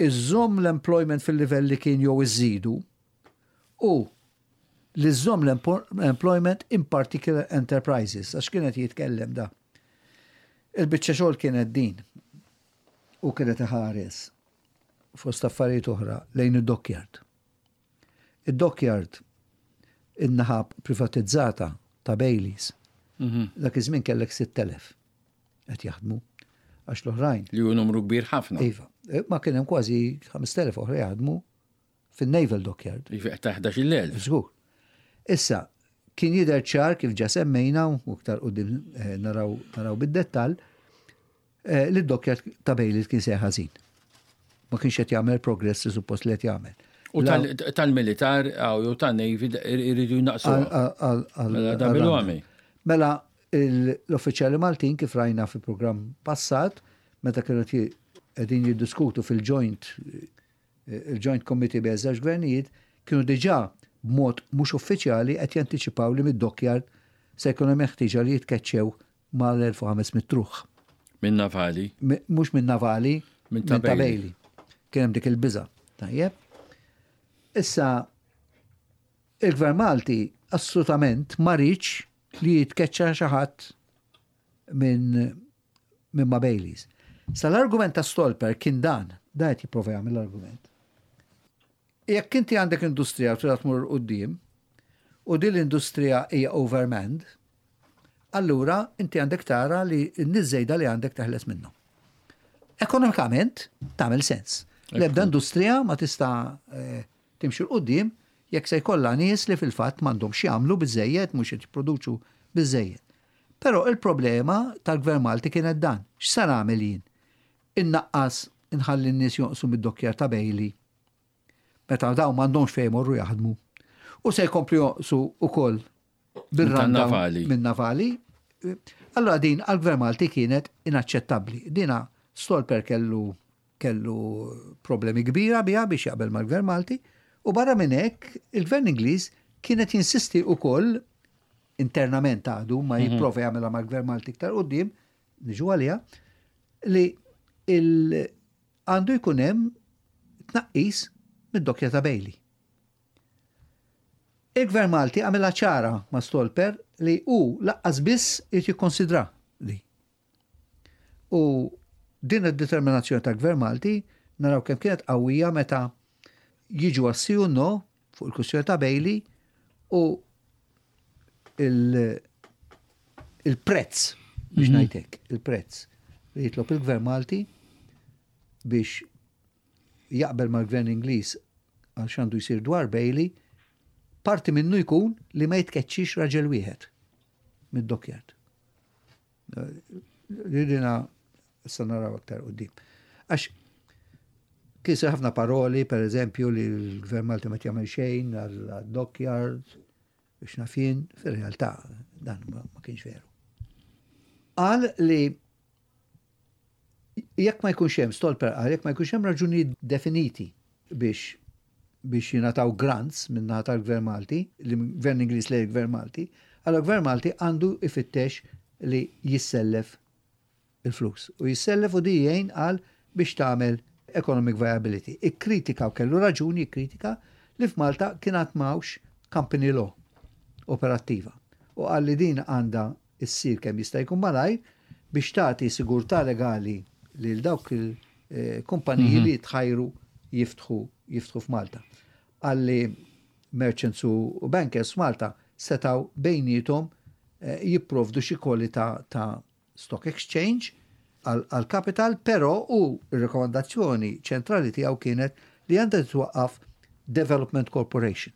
iżżomm l-employment fil-livell li kien jew iżżidu u li żżomm l-employment in particular enterprises, għax kien qed jitkellem da. Il-biċċa xogħol kienet din u kienet iħares fost affarijiet oħra, lejn id-dockyard. Id-dockyard in-naħa privatizzata ta' Baileys. Mhm. Dak iż-żmien kellek 6,000 qed jaħdmu għax l-oħrajn. Li hu numru kbir ħafna. Iva. Eh, ma kien hemm kważi 5,000 oħra jaħdmu fin-Naval Dockyard. Iva, ta' 11,000. Żgur. Issa, kien jidher ċar kif ġa semmejna u iktar qudiem eh, naraw naraw bid-dettall, Eh, li d-dokkjat ta' Baileys kien sejjer ħażin. Ma kienx qed jagħmel progress li suppost li qed jagħmel. U tal-militar jew tan-Navy iridu jnaqsu. Mela, mela l-uffiċjali Maltin kif rajna fi programm passat, meta kienu qegħdin jiddiskutu fil-joint il-Joint Committee bejn żewġ gvernijiet kienu diġà b'mod mhux uffiċjali qed jantiċipaw li mid-dockyard se jkun hemm ħtieġa li jitkeċċew mal-1500 ruħ. Minn navali? Mhux minn navali, minn ta' Bailey. Kien hemm dik il-biża. Tajjeb. Issa il-Gvern Malti assolutament ma riedx li jitkeċċa xi ħadd minn minn ma' Baileys. Sa l-argument ta' Stolper kien dan, da qed jipprova jagħmel l-argument. Jekk inti għandek industrija u trid tmur quddiem, u din l-industrija hija overmanned, allura inti għandek tara li n-nies żejda li għandek teħles minnhom. Ekonomikament tagħmel sens. L-ebda industrija ma tista' eh, timxi 'l quddiem jekk se jkollha nies li fil-fatt m'għandhomx jagħmlu biżejjed mhux qed jipproduċu biżejjed. Però il-problema tal-Gvern Malti kienet dan, x'se nagħmel jien? Innaqqas inħalli n-nies jonqsu mid-dokkjar ta' Bailey meta dawn m'għandhomx fejn jmorru jaħdmu. U se jkomplu jonqsu wkoll bir-navali. Min-navali. Allora din għall-Gvern Malti kienet inaċċettabbli. Dina Stolper kellu kellu problemi kbira biha biex jaqbel mal-Gvern Malti u barra minn hekk il-Gvern Ingliż kienet jinsisti wkoll internament għadu ma mhm. jipprova jagħmilha mal-Gvern Malti iktar quddiem, niġu għaliha, li għandu jkun hemm tnaqqis mid-dokkja ta' Bailey. Il-Gvern Malti għamilha ċara ma' Stolper li hu laqqas biss irid jikkonsidra li. U din id-determinazzjoni tal-Gvern Malti naraw kemm kienet qawwija meta jiġu għas-si u no fuq il-kwistjoni ta' Bailey u il-prezz biex mhm. ngħidlek, il-prezz li jitlob il-Gvern Malti biex jaqbel mal-Gvern Ingliż għal x'għandu jsir dwar Bailey, parti minnu jkun li ma jitkeċċix raġel wieħed mid-dockyard. Ridina issa naraw aktar qudiem. Għax Kisser ħafna paroli, per eżempju, li l-Gvern Malti ma jagħmel xejn għal-dockyard, biex naf jien, fir-realtà dan ma kienx veru. Qal li jekk ma jkunx hemm Stolper qal jekk ma jkunx hemm raġunijiet definiti biex biex jingħataw grants min-naħa tal-Gvern Malti, l-Gvern Ingliż lejn il-Gvern Malti, allura l-Gvern Malti għandu jfittex li jissellef il-flus. U jissellef u di jgħin qal biex tagħmel economic viability. Ikkritika u kellu raġun jikkritika li f'Malta kien għad m'hawnx company law operattiva. U qal li din għandha issir kemm jista' jkun malajr biex tagħti sigurtà legali lil dawk il-kumpaniji li jitħajru jiftħu jiftħu f'Malta. Qal li merchants u bankers f'Malta setgħu bejniethom jipprovdu xi kwalità ta' stock exchange għall-kapital, però hu r-rikomandazzjoni ċentrali tiegħu kienet li għandha titwaqqaf Development Corporation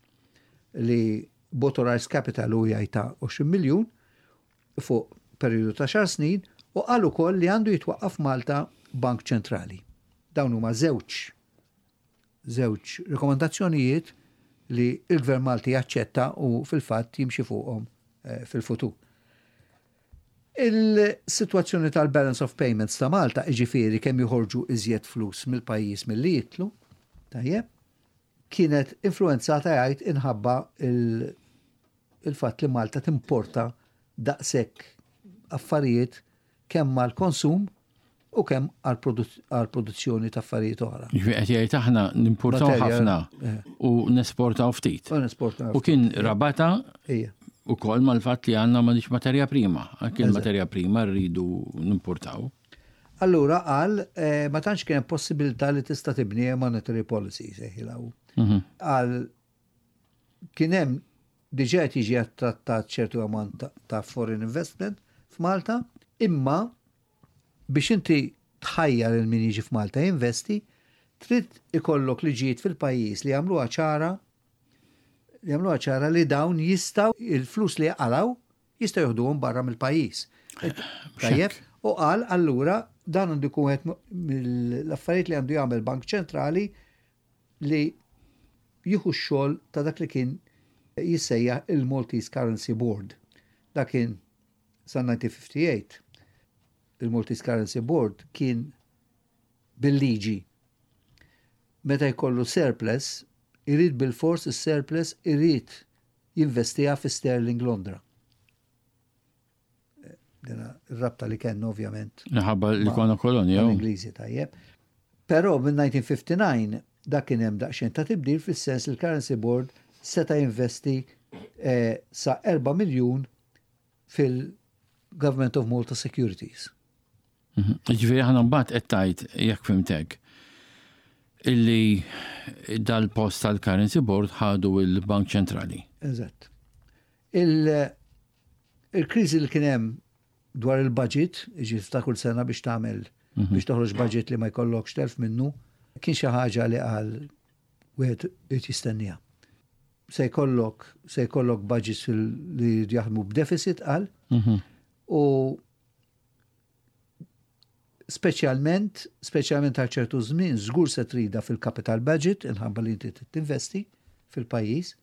li b'authorized capital hu jgħid ta' 20 miljun fuq perjodu ta' xar snin u qal ukoll li għandu jitwaqqaf Malta Bank Ċentrali. Dawn huma żewġ żewġ rikomandazzjonijiet li l-Gvern Malti jaċċetta u fil-fatt jimxi fuqhom eh, fil-futur. Il-sitwazzjoni tal-balance of payments ta' Malta, jiġifieri kemm joħorġu iżjed flus mill-pajjiż milli jidħlu, tajjeb, kienet influwenzata jgħid inħabba il-fatt li Malta timporta daqshekk affarijiet kemm għall-konsum u kemm għall-produzzjoni ta' affarijiet oħra. Ġifieri qed jgħid aħna nimportaw ħafna eh. u nesportaw ftit. U nesportaw. U kien rabata ukoll mal-fatt li għandna m'għandix materja prima. Anke l-materja prima rridu nimportaw. Allura qal eh, ma tantx kien hemm possibilità li tista' tibni monetary policy sejħilha. Mhm. Qal kien hemm diġà qed jiġi attrattat ċertu ammont ta' foreign investment f'Malta, imma Biex inti tħajjar lil min jiġi f'Malta jinvesti, trid ikollok liġijiet fil-pajjiż li jagħmluha ċara li jagħmluha ċara li dawn jistgħu il-flus li jaqalgħu jistgħu joħduhom barra mill-pajjiż. Tajjeb, u qal allura dan għandu jkun wieħed mill-affarijiet li għandu jagħmel Bank Ċentrali li jieħu x-xogħol ta' dak li kien jissejjaħ il-Maltese Currency Board. Dak kien Sa 1958, il-Maltese Currency Board kien bil-liġi meta jkollu surplus, irid bilfors is-surplus irid jinvestiha fi sterling Londra. Dina r-rabta li kellna ovvjament. Minħabba li konna kolonja. Ingliżi tajjeb. Però minn 1959 dak kien hemm daqsxejn ta' tibdil fis-sens li l-Currency Board seta' jinvesti eh, sa 4 miljun fil-Government of Malta Securities. Mhm. Ġifieri aħna mbagħad qed tgħid jekk fimtek illi dal-post tal-Currency Board ħadu il-Bank Ċentrali. Eżatt. Il-kriżi li kien hemm dwar il-budget, ġi ta' kull sena biex tagħmel mhm. biex toħroġ budget li ma jkollokx telf minnu, kien xi ħaġa li qal wieħed irid jistenniha. Se jkollok se jkollok budgets li jaħdmu b'deficit qal. Mhm. U speċjalment speċjalment għal ċertu żmien żgur se trida fil-capital budget inħabba li inti tinvesti fil-pajjiż.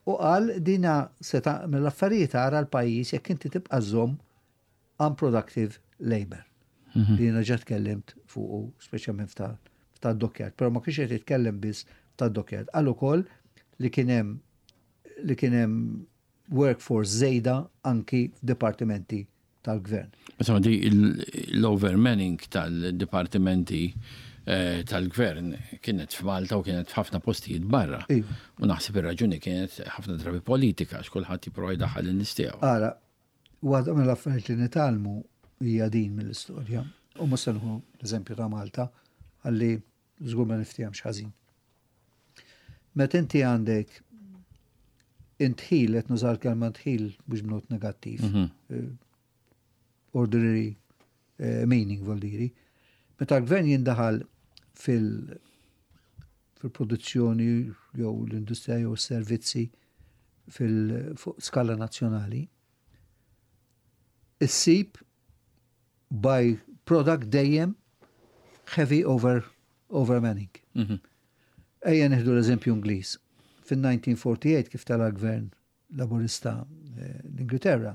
U qal dina se tagħmel l-affarijiet ara l-pajjiż jekk inti tibqa' żomm unproductive labour. Mhm. Li jiena ġa tkellimt fuqu speċjalment ta' dockyard, però ma kienx qed jitkellem biss ta' dockyard. Qal ukoll li kien hemm li kien hemm workforce żejda anki f'dipartimenti tal-gvern. Insomma, di l-overmanning tal-dipartimenti eh, tal-gvern kienet f'Malta u kienet f'ħafna postijiet barra. Iva. U naħseb ir-raġuni kienet ħafna drabi politika għax kulħadd jipprova jdaħħal in-nies tiegħu. Ara, Waħda mill-affarijiet li nitgħallmu hija din mill-istorja. U mhux se nieħu l-eżempju ta' Malta ħalli żgur ma niftehemx ħażin. Meta inti għandek intħil, qed nuża l-kelma ntħil mhux b'not negattiv. Mhm. Eh, ordinary eh, meaning vol diri. Meta l-gvern jindaħal fil- fil-produzzjoni jew l-industrija jew s-servizzi fil skala nazzjonali, issib by product dejjem heavy over. Overmanning. Ejja nieħdu l-eżempju Ingliż. Fin-1948 kif tela l-gvern Laburista l-Ingilterra,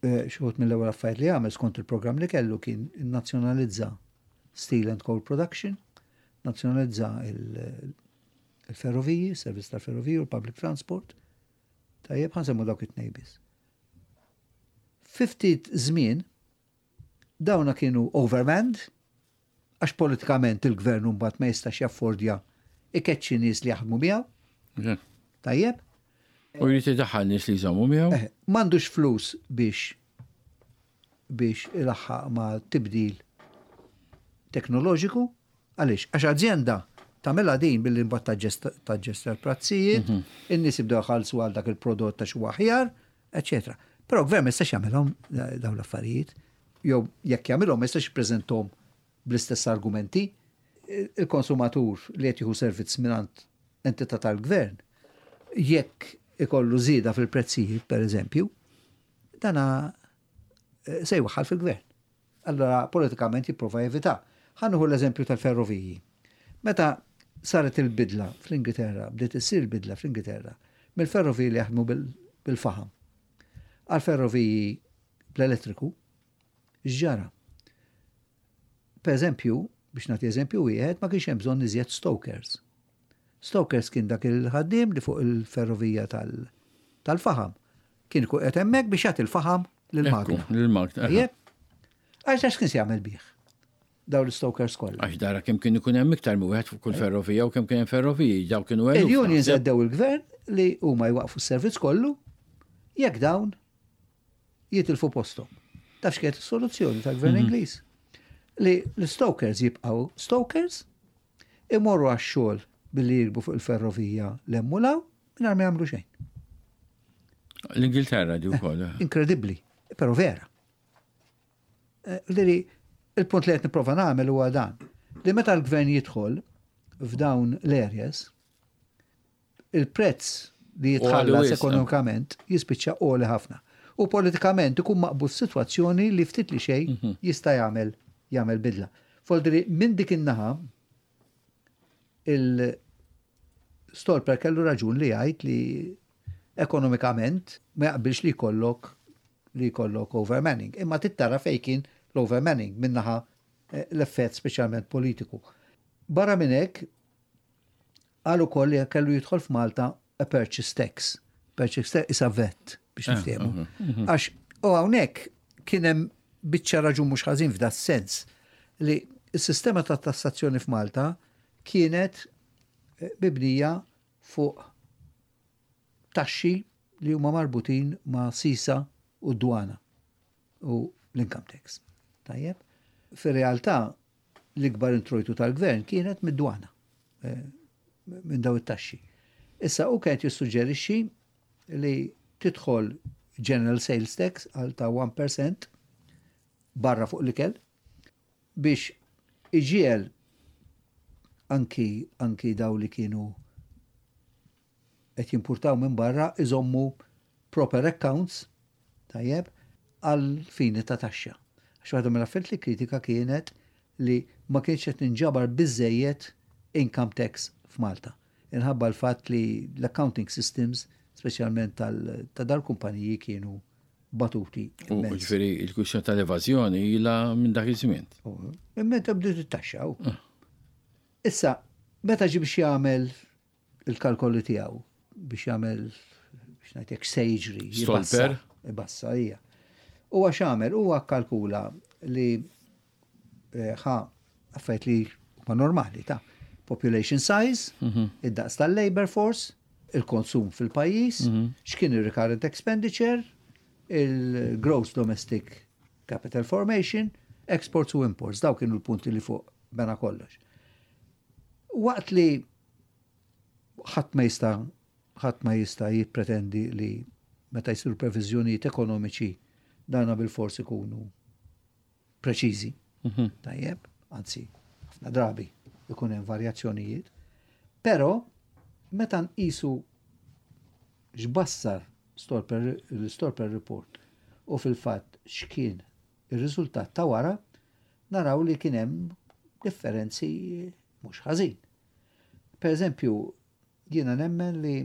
xi wħud mill-ewwel affarijiet li għamel skont il-programm li kellu kien innazzjonalizza Steel and Coal Production, nazzjonalizza il-ferroviji, servizz tal-ferroviji u l-public transport. Tajjeb, ħa nsemmu dawk it-tnejn biss. Fi ftit żmien dawna kienu overmanned, għax politikament il-gvern mbagħad ma jistax jaffordja ikeċċi nies li jaħdmu miegħu. Tajjeb? U jrid idaħħal nies li jżommu miegħu. M'għandux flus biex ilaħħaq ma' tibdil teknoloġiku. Għaliex? Għax azienda tagħmilha din billi mbagħad taġġesta l-prezzijiet, in-nies jibdew jħallsu għal dak il-prodott ta' xi aħjar, eċetera. Però gvern ma jistax jagħmilhom dawn l-affarijiet, jew jekk jagħmilhom ma jistax jippreżentahom bl-istess argumenti. Il-konsumatur li qed jieħu servizz mingħand entità tal-gvern, jekk ikollu żieda fil-prezzijiet, per eżempju, dana se jwaħħal fil-gvern. Allora politikament jipprova jevita. Ħa nieħu l-eżempju tal-ferroviji. Meta saret il-bidla fl-Ingilterra, bdiet issir il-bidla fl-Ingilterra, mill-ferroviji li jaħdmu bil-faħam għal ferroviji bl-elettriku, x'ġara? Per eżempju, biex nagħti eżempju wieħed, ma kienx hemm bżonn iżjed stokers. Stokers kien dak il-ħaddiem li fuq il-ferrovija tal-faħam. Kien ikun qed hemmhekk biex jagħti l-faħam lill-magna. Lill-magna. Tajjeb? Għax għax kien se jagħmel bih dawn l-stokers kollha. Għax dara kemm kien ikun hemm iktar minn wieħed fuq kull ferrovija u kemm kien hemm ferroviji, daw kienu eluf. Il-unions għeddew il-gvern li huma jwaqfu s-servizz kollu jekk dawn jitilfu postom. Taf x'kienet is-soluzzjoni tal-gvern Ingliż? Li l-stokers jibqgħu stokers, imorru għax-xogħol billi jirkbu fuq il-ferrovija l-emmulaw mingħajr ma jagħmlu xejn. L-Ingilterra di wkoll. Inkredibbli, però vera. Liri, il-punt li qed nipprova nagħmel huwa dan. Li meta l-gvern jidħol f'dawn l-areas, il-prezz li jitħallas ekonomikament jispiċċa għoli ħafna. U politikament ikun maqbud f'sitwazzjoni li ftit li xejn jista' jagħmel bidla. Foldri minn dik in-naħa il-Stolper kellu raġun li jgħid li ekonomikament ma jaqbilx li jkollok overmanning. Imma tittara fejn kien l-overmanning minnaħa l-effett speċjalment politiku. Barra minn hekk, qal ukoll li kellu jidħol f'Malta a purchase tax. Purchase tax isa VAT biex niftehmu. Għax u hawnhekk kien hemm biċċa raġun mhux ħażin f'da sens li s-sistema ta' tassazzjoni f'Malta kienet mibnija fuq taxxi li huma marbutin ma' sisa u dwana u l-income tax. Tajjeb? Fir-realtà l-ikbar introjtu tal-gvern kienet mid-dwana, minn daw it-taxxi. Issa u kienet jissuġġerixxi li tidħol General Sales Tax għal ta' 1% barra fuq l-ikel biex iġiel anki daw li kienu qed jimpurtaw minn barra iżommu proper accounts, tajjeb, għal fini ta' taxxa. Għax waħda mill-affarijiet li kritika kienet li ma kienx qed ninġabar biżejjed income tax f'Malta. Inħabba l-fatt li l-accounting systems, speċjalment ta' dal-kumpaniji, kienu batuti. U ġifieri il-kwistjoni tal-evażjoni ilha minn dak iż-żmien. Imma bdiet it-taxxa. Issa, meta ġi biex jagħmel il-kalkoli tiegħu biex jagħmel biex ngħidlek se jiġri. Stolper? Ibassa hija. Huwa x'għamel, huwa kalkula li ħa affarijiet li huma normali ta' population size, id-daqs tal-labor force, il-konsum fil-pajjiż, x'kien il-recurrent expenditure, il-gross domestic capital formation, exports u imports, daw kienu l-punti li fuq bena kollox. Waqt li ħadd ma jista' jippretendi li meta jsiru previżjonijiet ekonomiċi dana bil-fors ikunu preċiżi. Tajjeb, anzi, ħafna drabi ikun hemm varjazzjonijiet. Però meta nqisu x'bassar l-Stolper Report u fil-fatt x'kien ir-riżultat ta' wara, naraw li kien hemm differenzi mhux ħażin. Per eżempju, jiena nemmen li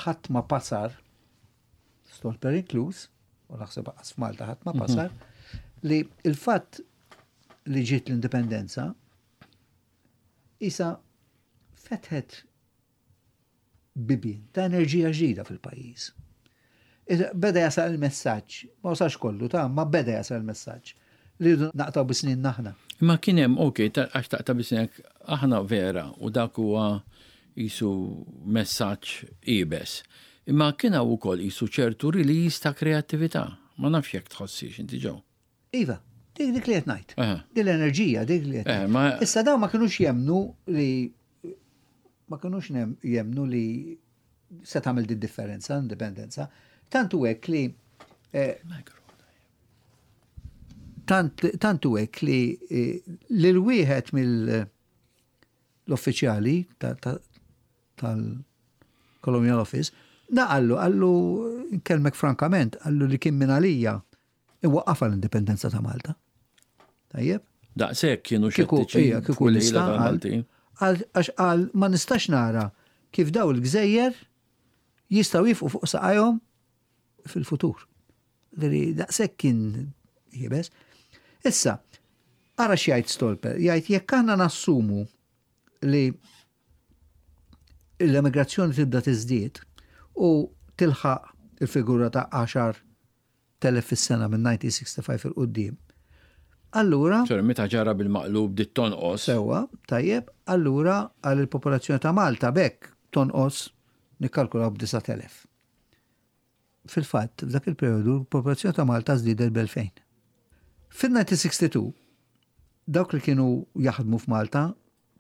ħadd ma pasar, Stolper inkluż, u naħseb qas f'Malta ħadd ma mhm. pasar, li il-fatt li ġiet l-indipendenza isa fetħet bibien ta' enerġija ġdida fil-pajjiż. Beda jasal il-messaġġ, ma wasalx kollu ta' ma beda jasal il-messaġġ li rridu naqtaw bi snin aħna. Imma kien hemm, ok, għax taqta' bi snin aħna vera u dak huwa qisu messaġġ iebes. Imma kien hawn ukoll qisu ċertu release ta' kreattività. Ma nafx jekk tħossiex inti Joe. Iva, dik dik li qed ngħid. Din l-enerġija dik li qed. Issa dawn ma kinux jemmnu li ma kinux jemmnu li se tagħmel di differenza, indipendenza. Tant hu hekk li eh, tant hu hekk li eh, lil wieħed mill-uffiċjali tal-Colonial Office, da qallu, qallu, nkellmek frankament, qallu li kien minn għalija Iwaqqafha l-indipendenza ta' Malta. Tajjeb? Daqshekk kienu xettiċi. Kieku nista' għax qal ma nistax nara kif daw il-gżejjer jistgħu jifqu fuq saqajhom fil-futur. Daqshekk kien jibes. Issa, ara x'jgħid Stolper, jgħid jekk aħna nassumu li l-emigrazzjoni tibda tiżdied u tilħaq il-figura ta' 10 telef fis-sena minn 1965 'il quddiem. Allura. Sorry, meta ġara bil-maqlub bdiet tonqos. Sewwa, tajjeb, allura għal il-popolazzjoni ta' Malta b'hekk tonqos nikkalkulaw b'9,000. Fil-fatt, f'dak il-perjodu l-popolazzjoni ta' Malta żdiedet b'2000. Fin-1962, dawk li kienu jaħdmu f'Malta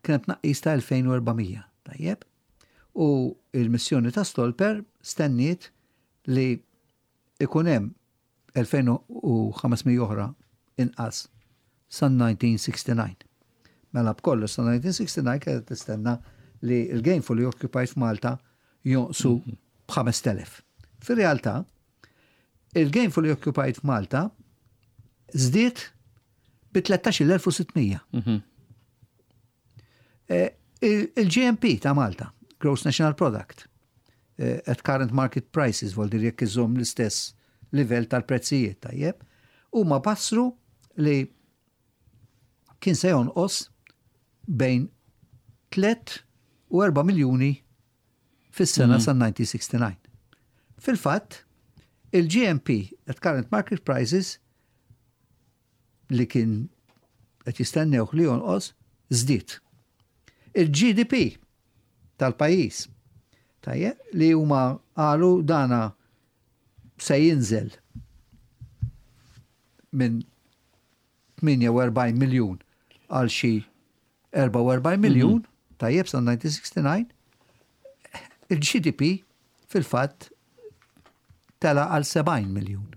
kien hemm tnaqqis ta' 2400, tajjeb? U l-missjoni ta' Stolper stenniet li ikun hemm 2,500 oħra inqas san-1969. Mela b'kollox sa 1969 kienet tistenna li l-gainfully occupied f'Malta jonqsu b'5,000. Fir-realtà, il-gainfully occupied f'Malta żdied bi 13,600. Eh, Il-GNP ta' Malta, Gross National Product, eh, at current market prices, vol dir jekk iżomm l-istess livell tal-prezzijiet, tajjeb, huma bassru li kien se jonqos bejn 3 u 4 miljuni fis-sena sa 1969. Fil-fatt, il-GNP at current market prices li kien qed jistennewh li jonqos żdied. Il-GDP tal-pajjiż tajjeb li huma qalu dana se jinżel minn 48 miljun għal xi 44 miljun, tajjeb sa 1969, il-GDP fil-fatt tela għal 70 miljun.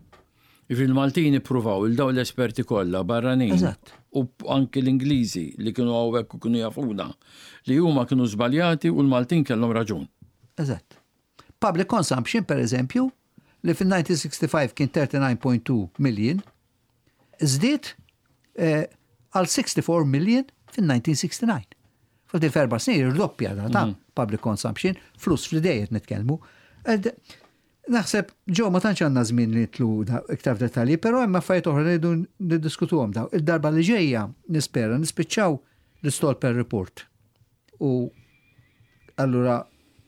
Jiġifieri l-Maltin ippruvaw il dawn l-esperti kollha barranin. Eżatt. U anki l-Ingliżi li kienu hawnhekk u kienu jafuna li huma kienu żbaljati u l-Maltin kellhom raġun. Eżatt. Public consumption, per eżempju, li fil-1965 kien 39.2 million, żdied eh, għal 64 million fin-1969. Fil f'erba' snin irdoppja ta' mhm. public consumption, flus fl-idejjet nitkellmu. Naħseb, ġo ma tantx għandna żmien li nitlu iktar f'dettalji, però hemm affarijiet oħra li rridu niddiskutuhom daw. Il-darba li ġejja nispera nispiċċaw l-Stolper Report. U allura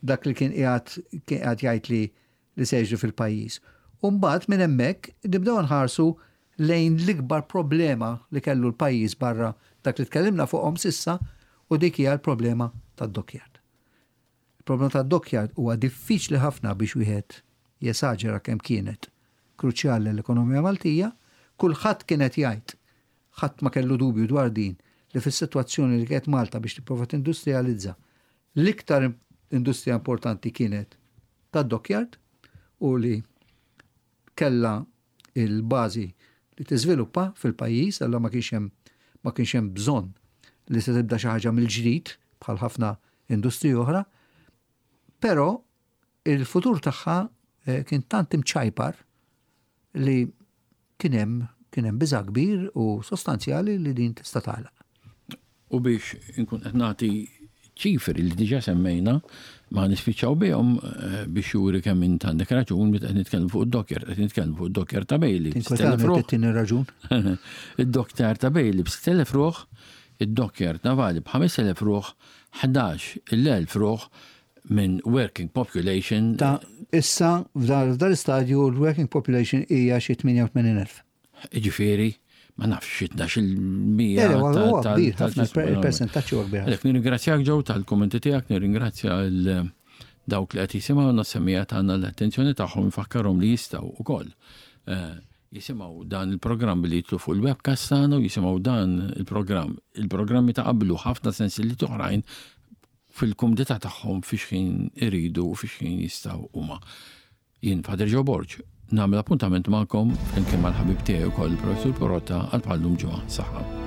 dak li kien qiegħed kien qiegħed jgħid li li se jiġri fil-pajjiż. U mbagħad minn hemmhekk nibdew nħarsu lejn l-ikbar problema li kellu l-pajjiż barra dak li tkellimna fuqhom s'issa u dik hija l-problema tad-dockyard. Il-problema tad-dockyard huwa diffiċli ħafna biex wieħed jesaġera kemm kienet kruċjali l-ekonomija Maltija. Kulħadd kien qed jgħid, ħadd ma kellu dubju dwar din, li fis-sitwazzjoni li kienet Malta biex tipprova tindustrijalizza, l-iktar industrija importanti kienet tad-dockyard u li kellha il-bażi li tiżviluppa fil-pajjiż, allura ma kienx hemm ma kienx hemm bżonn li se tibda xi ħaġa mill-ġdid bħal ħafna industriji oħra, però il-futur tagħha eh, kien tant imċajpar li kien hemm Kien hemm biża' kbir u sostanzjali li din tista' tagħlaq. U biex inkun qed nagħti ċifri li diġà semmejna, ma nispiċċaw bihom eh, biex juri kemm int għandek raġun meta qed nitkellmu fuq id-docker, qed nitkellmu fuq id-docker ta' Bailey. Tinkwetani raġun. Id-docker ta' Bailey b'6,000 ruħ, id-docker navali b'5,000 ruħ, 11,000 ruħ minn working population. Ta' issa f'dan l-istadju l-working population hija xi 88,000. Jiġifieri, ma nafx xi 12%. Huwa kbir, ħafna il-persentaġġ huwa kbir. Għalhekk nirringrazzjak Joe tal-kummenti tiegħek, nirringrazzja l dawk li qed jisimgħu nas-semmiegħa tagħna l-attenzjoni tagħhom infakkarhom li jistgħu wkoll eh, jisimgħu dan il-programm li jitlu fuq il-webcast tagħna u jisimgħu dan il-programm, il-programmi ta' qablu ħafna sensilliet oħrajn fil-kumdità tagħhom fi xħin iridu u fi xħin jistgħu huma. Jien Father Joe Borg, nagħmel appuntament magħkom flimkien mal-ħabib tiegħi wkoll il-Professur Porotta għal bħal-lum ġimgħa. Saħħa.